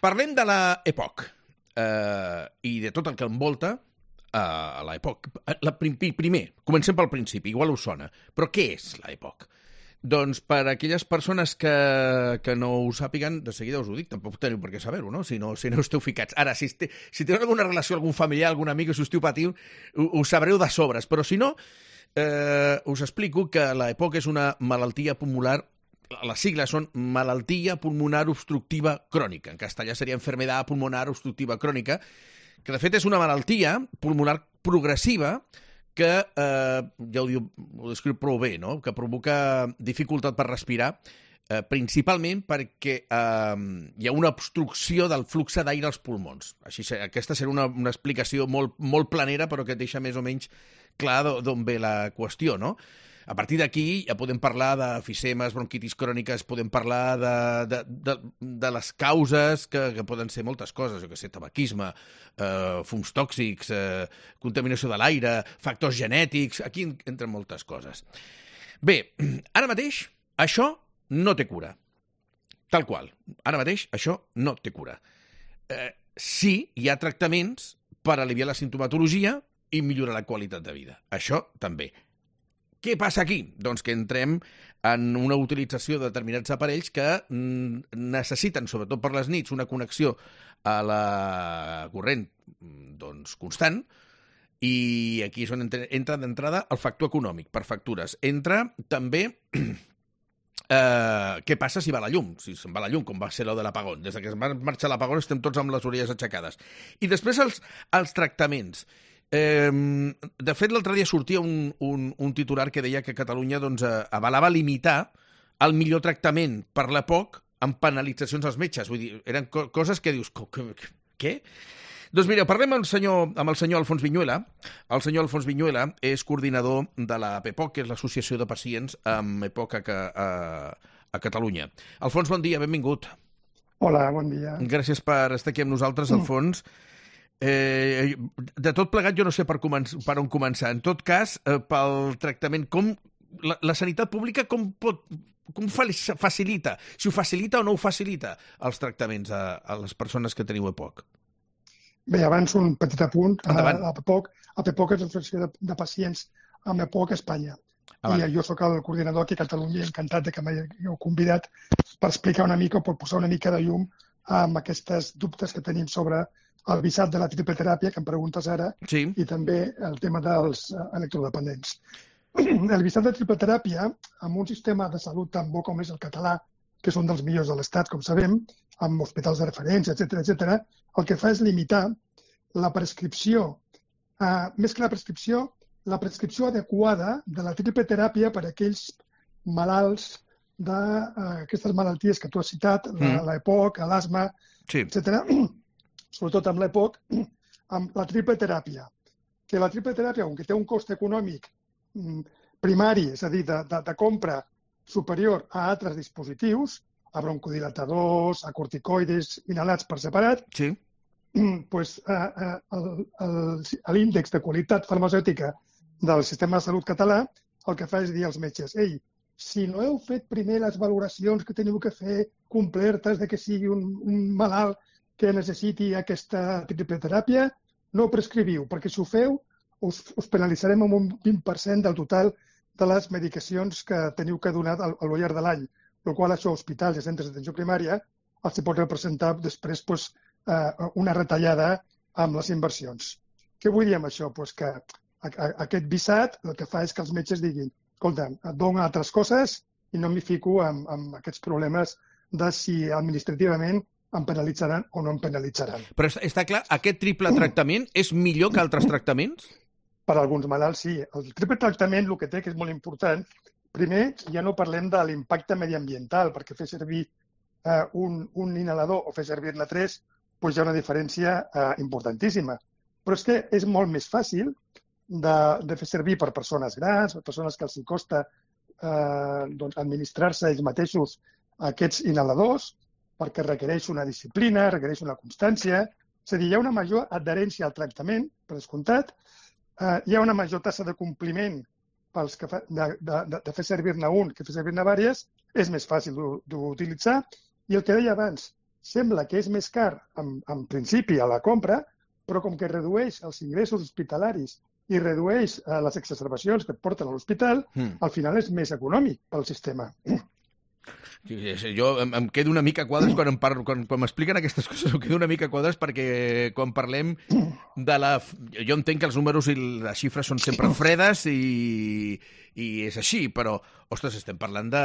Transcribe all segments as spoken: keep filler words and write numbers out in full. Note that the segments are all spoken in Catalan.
Parlem de la EPOC eh, i de tot el que envolta eh, la EPOC. La, primer, comencem pel principi, igual us sona. Però què és la EPOC? Doncs per a aquelles persones que, que no ho sàpiguen, de seguida us ho dic, tampoc teniu per què saber-ho, no? Si no, si no esteu ficats. Ara, si, este, si teniu alguna relació, algun familiar, algun amic, si esteu patint, ho, ho sabreu de sobres. Però si no, eh, us explico que la EPOC és una malaltia pulmonar. Les sigles són malaltia pulmonar obstructiva crònica. En castellà seria enfermedad pulmonar obstructiva crònica, que de fet és una malaltia pulmonar progressiva que, eh, ja ho, diu, ho descriu prou bé, no? Que provoca dificultat per respirar, eh, principalment perquè eh, hi ha una obstrucció del flux d'aire als pulmons. Així, aquesta serà una, una explicació molt, molt planera, però que et deixa més o menys clar d'on ve la qüestió, no? A partir d'aquí ja podem parlar d'efissemes, bronquitis cròniques, podem parlar de, de, de, de les causes que, que poden ser moltes coses, jo que sé, tabaquisme, eh, fums tòxics, eh, contaminació de l'aire, factors genètics, aquí entren moltes coses. Bé, ara mateix això no té cura. Tal qual. Ara mateix això no té cura. Eh, sí, hi ha tractaments per aliviar la simptomatologia i millorar la qualitat de vida. Això també. Què passa aquí? Doncs que entrem en una utilització de determinats aparells que necessiten, sobretot per les nits, una connexió a la corrent doncs, constant, i aquí és on entra d'entrada el factor econòmic, per factures. Entra també eh, què passa si va la llum, si se'n va la llum, com va ser lo de l'apagón. Des que es va marxar l'apagón estem tots amb les orelles aixecades. I després els, els tractaments. Eh, de fet, l'altre dia sortia un, un, un titular que deia que Catalunya doncs, avalava limitar el millor tractament per l'EPOC amb penalitzacions als metges. Vull dir, eren co coses que dius, què? Doncs mira, parlem amb el senyor, amb el senyor Alfons Viñuela. El senyor Alfons Viñuela és coordinador de la PEPOC, que és l'Associació de Pacients amb EPOC a, a, a Catalunya. Alfons, bon dia, benvingut. Hola, bon dia. Gràcies per estar aquí amb nosaltres, Alfons. Eh, de tot plegat jo no sé per, per on començar. En tot cas, eh, pel tractament, com la, la sanitat pública com pot, com facilita, si ho facilita o no ho facilita els tractaments a, a les persones que teniu EPOC? Bé, abans un petit apunt. Endavant. A PEPOC, a PEPOC és l'Associació de, de Pacients amb EPOC a Espanya. Ah, I jo sóc el coordinador aquí a Catalunya i encantat de que m'heu convidat per explicar una mica o per posar una mica de llum amb aquests dubtes que tenim sobre el visat de la tripleteràpia, que em preguntes ara, sí. I també el tema dels electrodependents. El visat de tripleteràpia, amb un sistema de salut tan bo com és el català, que és un dels millors de l'Estat, com sabem, amb hospitals de referència, etcètera, etcètera, el que fa és limitar la prescripció, eh, més que la prescripció, la prescripció adequada de la tripleteràpia per a aquells malalts d'aquestes uh, malalties que tu has citat, mm. l'EPOC, l'asma, sí. etcètera, sobretot amb l'EPOC, amb la tripleteràpia. Que la tripleteràpia, que té un cost econòmic primari, és a dir, de, de, de compra superior a altres dispositius, a broncodilatadors, a corticoides inhalats per separat, sí. pues, uh, uh, l'índex de qualitat farmacèutica del sistema de salut català el que fa és dir als metges, ei, si no heu fet primer les valoracions que teniu que fer complertes de que sigui un, un malalt que necessiti aquesta tripleteràpia, no ho prescriviu, perquè si ho feu us, us penalitzarem amb un vint per cent del total de les medicacions que teniu que donar al, al llarg de l'any, el qual això a hospitals i centres d'atenció primària els pot representar després pues, eh, una retallada amb les inversions. Què vull dir amb això? Pues que a, a, aquest visat el que fa és que els metges diguin escolta, et dono altres coses i no m'hi fico amb, amb aquests problemes de si administrativament em penalitzaran o no em penalitzaran. Però està clar, aquest triple tractament és millor que altres tractaments? Per a alguns malalts, sí. El triple tractament el que té, que és molt important, primer, ja no parlem de l'impacte mediambiental, perquè fer servir eh, un, un inhalador o fer servir-ne tres, doncs hi ha una diferència eh, importantíssima. Però és que és molt més fàcil de, de fer servir per persones grans, per persones que els costa eh, doncs, administrar-se ells mateixos aquests inhaladors, perquè requereix una disciplina, requereix una constància. És a dir, hi ha una major adherència al tractament, per descomptat, eh, hi ha una major tassa de compliment pels que fa, de, de, de fer servir-ne un que fer servir-ne diverses, és més fàcil d'utilitzar. I el que deia abans, sembla que és més car en, en principi a la compra, però com que redueix els ingressos hospitalaris i redueix eh, les exacerbacions que et porten a l'hospital, mm. al final és més econòmic pel sistema. Jo em, em quedo una mica a quadres quan em parlo, quan, quan m'expliquen aquestes coses, em quedo una mica a quadres perquè quan parlem de la... Jo entenc que els números i les xifres són sempre fredes i, i és així, però, ostres, estem parlant de,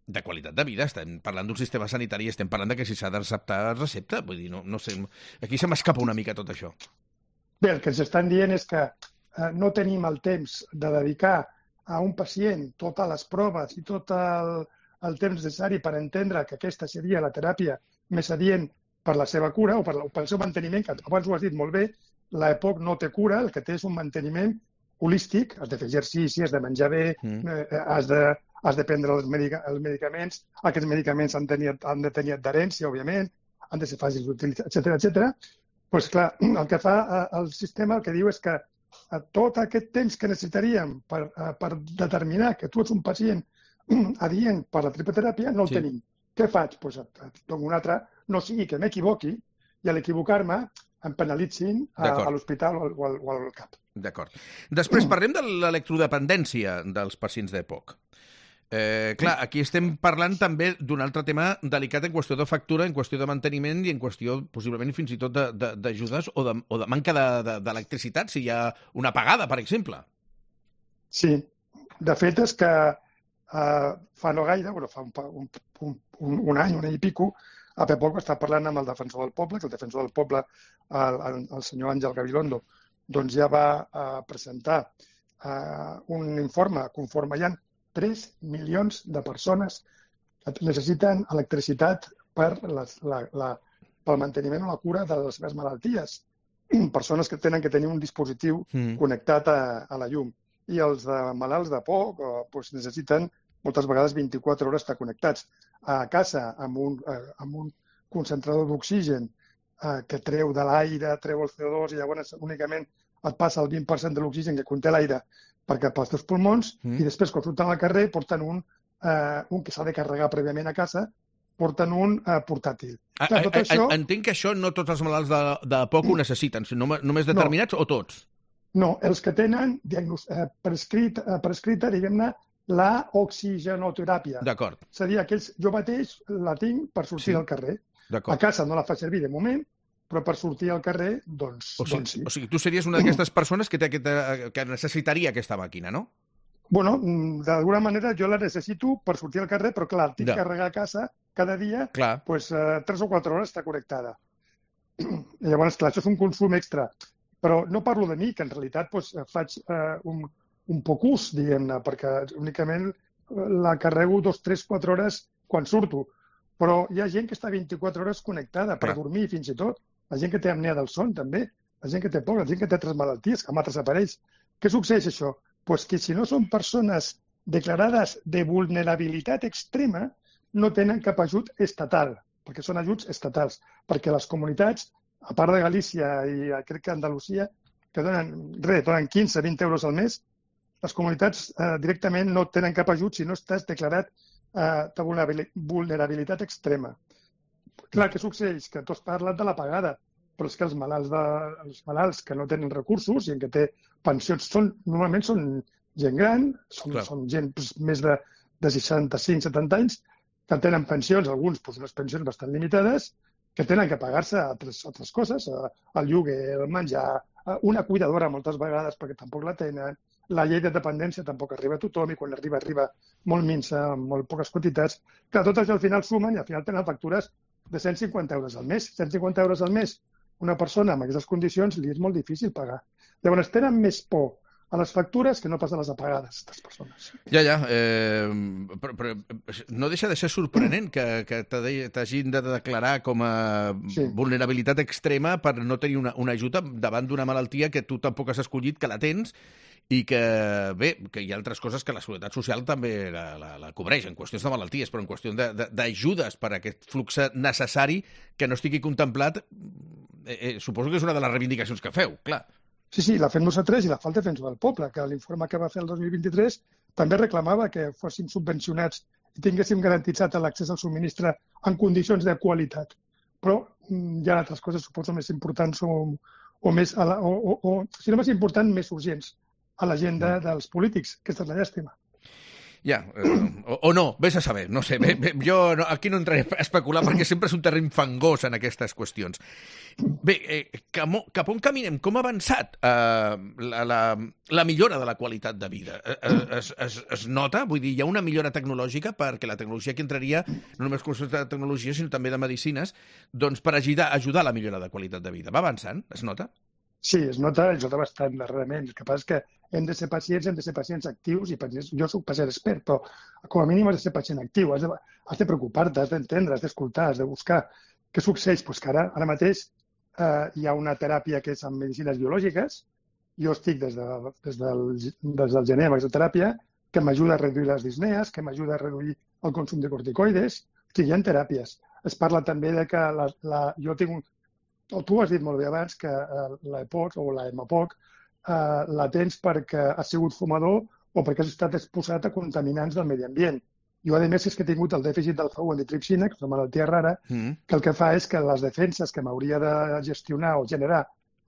de qualitat de vida, estem parlant d'un sistema sanitari i estem parlant de que si s'ha de receptar, es recepta. Vull dir, no, no sé, aquí se m'escapa una mica tot això. Bé, el que ens estan dient és que eh, no tenim el temps de dedicar a un pacient totes les proves i tot el... el temps necessari per entendre que aquesta seria la teràpia més adient per la seva cura o per, o pel seu manteniment, que abans ho has dit molt bé, l'EPOC no té cura, el que té és un manteniment holístic, has de fer exercici, has de menjar bé, mm. eh, has, de, has de prendre els, medica, els medicaments, aquests medicaments han, tenir, han de tenir adherència, òbviament, han de ser fàcils d'utilitzar, etcètera, etcètera. Pues clar, el que fa eh, el sistema, el que diu és que eh, tot aquest temps que necessitaríem per, eh, per determinar que tu ets un pacient adient per la tripoteràpia, no el sí. tenim. Què faig? Doncs pues, et dono un altre, no sigui que m'equivoqui i a l'equivocar-me em penalitzin a, a l'hospital o, o, al, o al CAP. D'acord. Després parlem de l'electrodependència dels pacients d'EPOC. Eh, clar, aquí estem parlant també d'un altre tema delicat en qüestió de factura, en qüestió de manteniment i en qüestió possiblement fins i tot d'ajudes o, de, o de manca d'electricitat, de, si hi ha una apagada, per exemple. Sí, de fet és que Uh, fa no gaire, bueno, fa un, un, un, un any, un any i pico, a Pepoc està parlant amb el defensor del poble, que el defensor del poble, el, el, el senyor Àngel Gabilondo, doncs ja va uh, presentar uh, un informe conforme hi ha tres milions de persones que necessiten electricitat per les, la, la, pel manteniment o la cura de les seves malalties. Persones que tenen que tenir un dispositiu mm. connectat a, a la llum. I els de malalts de poc uh, doncs necessiten moltes vegades vint-i-quatre hores estar connectats a casa amb un, eh, amb un concentrador d'oxigen eh, que treu de l'aire, treu el C O dos i llavors únicament et passa el vint per cent de l'oxigen que conté l'aire perquè pels teus pulmons mm. i després quan surten al carrer porten un, eh, un que s'ha de carregar prèviament a casa, porten un eh, portàtil. A, Clar, tot a, això... Entenc que això no tots els malalts de, de poc ho necessiten, sinó només determinats no. o tots? No, els que tenen diagnos... eh, prescrit, eh, prescrita, diguem-ne, la oxigenoteràpia. D'acord. És a dir, aquells, jo mateix la tinc per sortir sí. al carrer. A casa no la fa servir de moment, però per sortir al carrer, doncs, o sigui, doncs sí. O sigui, tu series una d'aquestes persones que, té aquesta, que necessitaria aquesta màquina, no? Bueno, d'alguna manera jo la necessito per sortir al carrer, però clar, tinc que carregar a casa cada dia, doncs, eh, tres o quatre hores està connectada. I llavors, clar, això és un consum extra. Però no parlo de mi, que en realitat doncs, faig eh, un, un poc ús, diguem-ne, perquè únicament la carrego dos, tres, quatre hores quan surto. Però hi ha gent que està vint-i-quatre hores connectada per Clar. dormir fins i tot. La gent que té apnea del son, també. La gent que té por, la gent que té altres malalties, que amb altres aparells. Què succeeix, això? Pues que si no són persones declarades de vulnerabilitat extrema, no tenen cap ajut estatal, perquè són ajuts estatals. Perquè les comunitats, a part de Galícia i crec que Andalusia, que donen, res, donen quinze a vint euros al mes, les comunitats eh, directament no tenen cap ajut si no estàs declarat eh, de vulnerabilitat extrema. Clar, què succeeix? Que tu has parlat de la pagada, però és que els malalts, de, els malalts que no tenen recursos i que té pensions, són, normalment són gent gran, són, són gent pues, més de, de seixanta-cinc setanta anys, que tenen pensions, alguns pues, unes pensions bastant limitades, que tenen que pagar-se altres, altres coses, el lloguer, el menjar, una cuidadora moltes vegades perquè tampoc la tenen, la llei de dependència tampoc arriba a tothom i quan arriba, arriba molt minsa, amb molt poques quantitats. Clar, tot això al final sumen i al final tenen factures de cent cinquanta euros al mes. cent cinquanta euros al mes, una persona amb aquestes condicions li és molt difícil pagar. Llavors tenen més por a les factures que no pas a les apagades, aquestes persones. Ja, ja. Eh, però, però no deixa de ser sorprenent que, que t'hagin de declarar com a sí. vulnerabilitat extrema per no tenir una, una ajuda davant d'una malaltia que tu tampoc has escollit, que la tens, i que, bé, que hi ha altres coses que la Seguretat Social també la, la, la cobreix, en qüestions de malalties, però en qüestions d'ajudes per a aquest flux necessari que no estigui contemplat, eh, eh, suposo que és una de les reivindicacions que feu, clar. Sí, sí, la fem nosaltres i la fa el Defensor del Poble, que l'informe que va fer el dos mil vint-i-tres també reclamava que fossin subvencionats i tinguéssim garantitzat l'accés al subministre en condicions de qualitat. però hi ha altres coses, suposo, més importants o, o, més, a la, o, o, o, si no més important, més urgents a l'agenda dels polítics. Aquesta és la llàstima. Ja, eh, o, o no, vés a saber, no sé, bé, bé, jo no, aquí no entraré a especular perquè sempre és un terreny fangós en aquestes qüestions. Bé, eh, cap, cap on caminem? Com ha avançat eh, la, la, la millora de la qualitat de vida? Eh, es, es, es nota? Vull dir, hi ha una millora tecnològica perquè la tecnologia que entraria, no només cursos de tecnologia, sinó també de medicines, doncs per ajudar, ajudar a la millora de qualitat de vida. Va avançant? Es nota? Sí, es nota, es nota bastant darrerament. El que passa és que hem de ser pacients, hem de ser pacients actius i pacients, jo soc pacient expert, però com a mínim has de ser pacient actiu, has de, has de preocupar-te, has d'entendre, has d'escoltar, has de buscar. Què succeeix? Pues que ara, ara mateix eh, hi ha una teràpia que és amb medicines biològiques, jo estic des, de, des, del, des del gener amb aquesta teràpia, que m'ajuda a reduir les disnees, que m'ajuda a reduir el consum de corticoides, o sigui, hi ha teràpies. Es parla també de que la, la, jo tinc un tu has dit molt bé abans que eh, la EPOC o la EMAPOC eh, la tens perquè has sigut fumador o perquè has estat exposat a contaminants del medi ambient. Jo, a més, és que he tingut el dèficit d'alfa u antitripsina, que és una malaltia rara, mm. que el que fa és que les defenses que m'hauria de gestionar o generar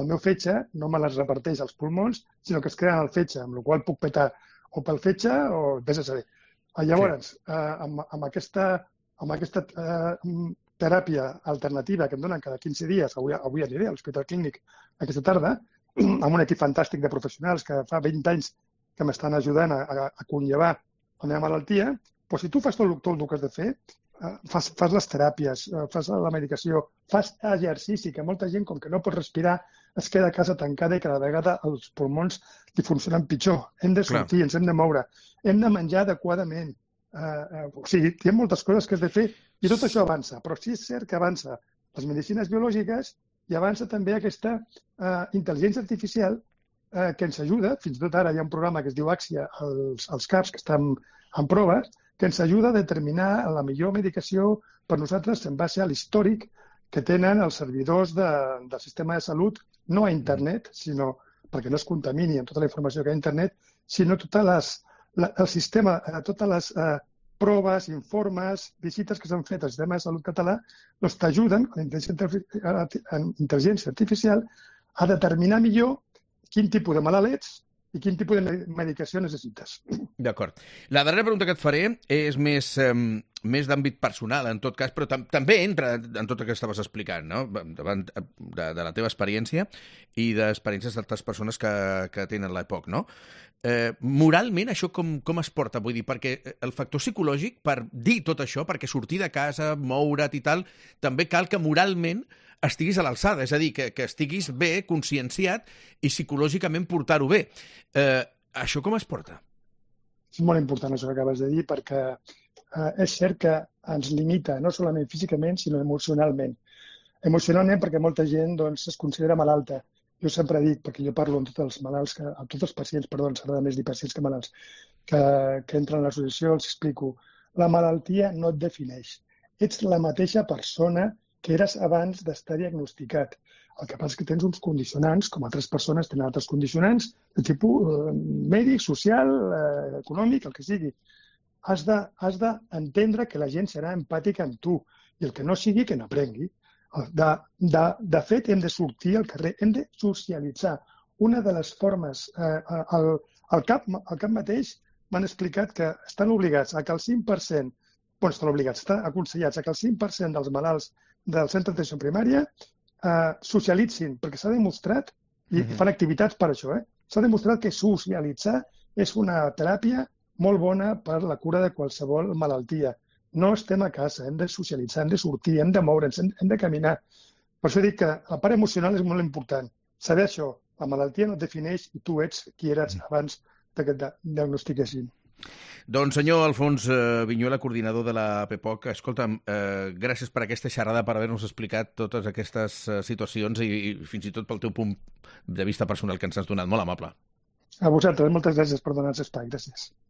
el meu fetge no me les reparteix als pulmons, sinó que es creen al fetge, amb la qual puc petar o pel fetge o vés a saber. Llavors, sí. eh, amb, amb aquesta, amb aquesta eh, teràpia alternativa que em donen cada quinze dies, avui, avui aniré a l'Hospital Clínic aquesta tarda, amb un equip fantàstic de professionals que fa vint anys que m'estan ajudant a, a, a conllevar la meva malaltia, però si tu fas tot, tot el que has de fer, eh, fas, fas les teràpies, eh, fas la medicació, fas exercici, que molta gent, com que no pot respirar, es queda a casa tancada i cada vegada els pulmons li funcionen pitjor. Hem de sortir, Clar. ens hem de moure, hem de menjar adequadament. Uh, uh, o sigui, hi ha moltes coses que has de fer i tot això avança, però sí és cert que avança les medicines biològiques i avança també aquesta uh, intel·ligència artificial uh, que ens ajuda, fins i tot ara hi ha un programa que es diu Axia als, als CAPs que estan en proves, que ens ajuda a determinar la millor medicació per nosaltres en base a l'històric que tenen els servidors de, del sistema de salut, no a internet, sinó perquè no es contamini amb tota la informació que hi ha a internet, sinó totes les La, el sistema, eh, totes les eh, proves, informes, visites que s'han fet al sistema de salut català, doncs t'ajuden, la intel·ligència artificial, a determinar millor quin tipus de malalt ets i quin tipus de medicació necessites. D'acord. La darrera pregunta que et faré és més, eh, més d'àmbit personal, en tot cas, però tam també entra en tot el que estaves explicant, no? Davant de, de la teva experiència i d'experiències d'altres persones que, que tenen l'E P O C, no? Eh, moralment, això com, com es porta? Vull dir, perquè el factor psicològic, per dir tot això, perquè sortir de casa, moure't i tal, també cal que moralment estiguis a l'alçada, és a dir, que, que estiguis bé, conscienciat i psicològicament portar-ho bé. Eh, això com es porta? És molt important això que acabes de dir, perquè eh, és cert que ens limita, no solament físicament, sinó emocionalment. Emocionalment perquè molta gent doncs, es considera malalta. Jo sempre dic, perquè jo parlo amb tots els malalts, que, amb tots els pacients, perdó, ens agrada més dir pacients que malalts, que, que entren a l'associació, els explico. La malaltia no et defineix. Ets la mateixa persona que eres abans d'estar diagnosticat. El que passa és que tens uns condicionants, com altres persones tenen altres condicionants, de tipus eh, mèdic, social, eh, econòmic, el que sigui. Has d'entendre que la gent serà empàtica amb tu i el que no sigui, que n'aprengui. De, de, de fet, hem de sortir al carrer, hem de socialitzar. Una de les formes, eh, al, al, cap, al cap mateix m'han explicat que estan obligats a que el cinc per cent, bueno, estan obligats, estan aconsellats a que el cinc per cent dels malalts del centre d'atenció primària eh, socialitzin, perquè s'ha demostrat, i mm-hmm. fan activitats per això, eh, s'ha demostrat que socialitzar és una teràpia molt bona per la cura de qualsevol malaltia. No estem a casa, hem de socialitzar, hem de sortir, hem de moure'ns, hem, hem de caminar. Per això dic que la part emocional és molt important. Saber això, la malaltia no et defineix i tu ets qui eres abans que et diagnostiquessin. Doncs senyor Alfons eh, Viñuela, coordinador de la P P O C, escolta'm, eh, gràcies per aquesta xerrada, per haver-nos explicat totes aquestes eh, situacions i, i fins i tot pel teu punt de vista personal que ens has donat. Molt amable. A vosaltres, moltes gràcies per donar-nos espai. Gràcies.